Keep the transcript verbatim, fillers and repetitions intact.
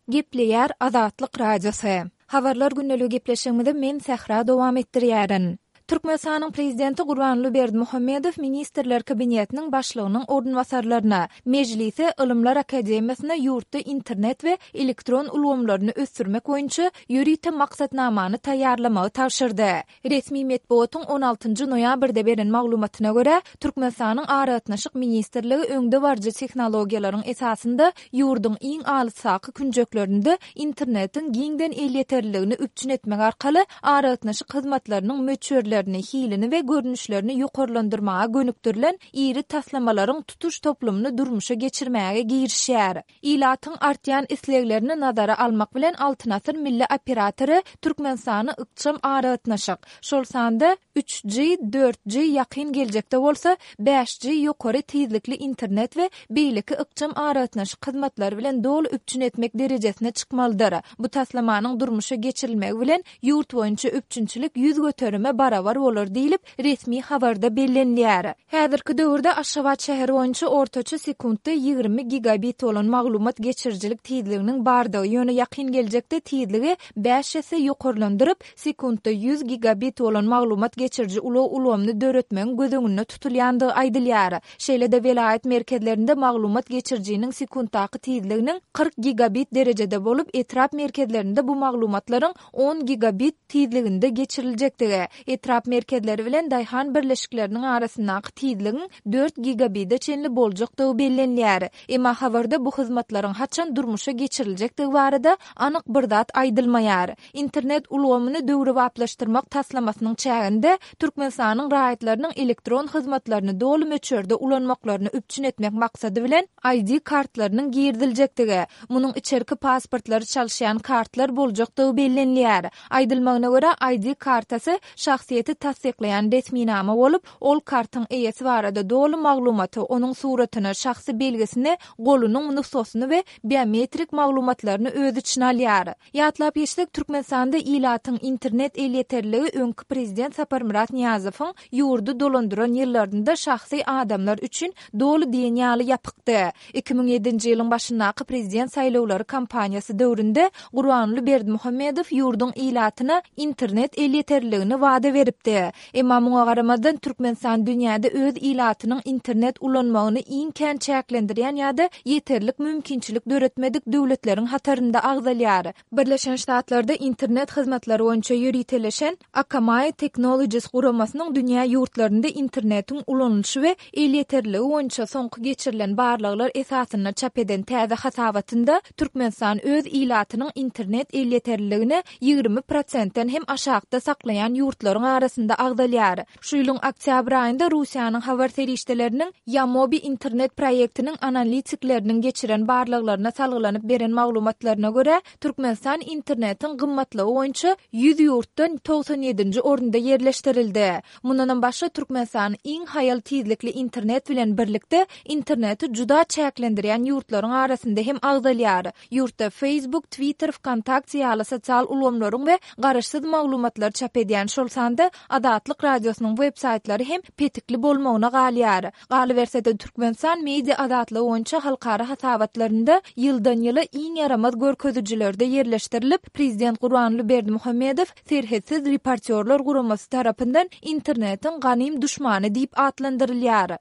Gepleýär Azatlyk Radiosy. Habarlar gündeligi gepleşigimizi men Sähra dowam etdirýärin. Türkmenistanyň Prezidenti Gurbanguly Berdimuhamedow Ministrler Kabinetiniň Başlygynyň orunbasarlaryna, Mejlise, Ylymlar akademiýasyna ýurtda internet we elektron ulgamlaryny ösdürmek boýunça ýörite maksatnamany taýýarlamagy tabşyrdy. Resmi metbugatyň on altynjy noýabrda beren maglumatyna görä, Türkmenistanyň Aragatnaşyk ministrligi öňdebaryjy tehnologiýalaryň esasynda ýurduň iň alysdaky künjeklerinde internetiň giňden elýeterliligini üpjün etmek arkaly aragatnaşyk hyzmatlarynyň möçberlerini, hilini we görnüşlerini ýokarlandyrmaga gönükdirilen iri taslamalaryň tutuş toplumyny durmuşa geçirmäge girişýär. Ilatyň artýan isleglerini nazara almak bilen, Altyn asyr milli operatory Türkmenistany ykjam aragatnaşyk, şol sanda üç G, dört G, ýakyn geljekde bolsa bäş G ýokary tizlikli internet we beýleki ykjam aragatnaşyk hyzmatlary bilen doly üpjün etmek derejesine çykmalydyr. Bu taslamanyň durmuşa geçirilmegi bilen ýurt boýunça üpjünçilik ýüz göterime barabar bolar diýlip, resmi habarda bellenilýär. Häzirki döwürde Aşgabat şäheri boýunça ortaça sekuntda ýigrimi gigabit bolan maglumat geçirijilik tizliginiň bardygy, ýöne ýakyn geljekde tizligi bäş esse ýokarlandyryp, sekuntda ýüz gigabit bolan maglumat geçiriji ulag ulgamyny döretmegiň göz öňünde tutulýandygy aýdylýar. Şeýle-de welaýat merkezlerinde maglumat geçirijiniň sekuntdaky tizliginiň kyrk gigabit derejede bolup, etrap merkezlerinde bu maglumatlaryň on gigabit tizliginde geçiriljekdigi, etrap merkezleri bilen daýhan birleşikleriniň arasyndaky tizligiň dört gigabide çenli boljakdygy bellenilýär. Emma habarda bu hyzmatlaryň haçan durmuşa geçiriljekdigi barada anyk bir zat aýdylmaýar. Internet ulgamyny döwrebaplaşdyrmak taslamasynyň çäginde Türkmenistanyň raýatlarynyň elektron hyzmatlaryny doly möçberde ulanmaklaryny üpjün etmek maksady bilen I D kartlarynyň giriziljekdigi, munuň içerki pasportlary çalyşýan kartlar boljakdygy bellenilýär. Aýdylmagyna görä, I D kartasy şahsyýeti tassyklaýan resminama bolup, ol kartyň eýesi barada doly maglumaty, onuň suratyny, şahsy belgisini, golunyň nusgasyny we biometrik maglumatlaryny öz içine alýar. Ýatlap geçsek, Türkmenistanda ilatyň internet elýeterligi öňki prezident Saparmyrat Nyýazowyň ýurdy dolandyran ýyllarynda şahsy adamlar üçin doly diýen ýaly ýapykdy. Iki müň ýedinji ýylyň başyndaky prezident saýlawlary kampaniýasy döwründe Gurbanguly Berdimuhamedow ýurduň ilatyna internet elýeterliligini wada beripdi. Emma muňa garamazdan Türkmenistan dünýäde öz ilatynyň internet ulanmagyny iň kän çäklendirýän ýa-da ýeterlik mümkinçilik döretmedik döwletleriň hatarynda agzalýar. Birleşen Ştatlarda internet hyzmatlary boýunça ýöriteleşen Akamai Technologies guramasynyň dünýä ýurtlarynda internetiň ulanylyşy we elýeterliligi boýunça soňky geçirilen barlaglar esasynda çap eden täze hasabatynda Türkmenistan öz ilatynyň internet elýeterliligini ýigrimi prosentden hem aşakda saklaýan ýurtlaryň arasynda agzalýar. Şu ýylyň oktýabr aýynda Russiýanyň habar serişdeleriniň Yamobi internet proýektiniň analitikleriniň geçiren barlaglaryna salgylanyp beren maglumatlaryna görä, Türkmenistan internetiň gymmatlygy boýunça ýüz ýurtdan togsan ýedinji orunda ýerleşdirildi. Mundanam başga Türkmenistan iň haýal tizlikli internet bilen birlikde interneti juda çäklendirýän ýurtlaryň arasynda hem agzalýar. Ýurtda Facebook, Twitter, Vkontakte ýaly sosial ulgamlaryň we garaşsyz maglumatlar çap edýän, şol sanda Azatlyk Radiosynyň web saýtlary hem petikli bolmagyna galýar. Galyberse-de Türkmenistan media azatlygy boýunça halkara hasabatlarynda ýyldan ýyla iň ýaramaz görkezijilerde ýerleşdirilip, Prezident Gurbanguly Berdimuhamedow Serhetsiz reportýorlar guramasy tarapyndan internetiň ganym duşmany diýip atlandyrylýar.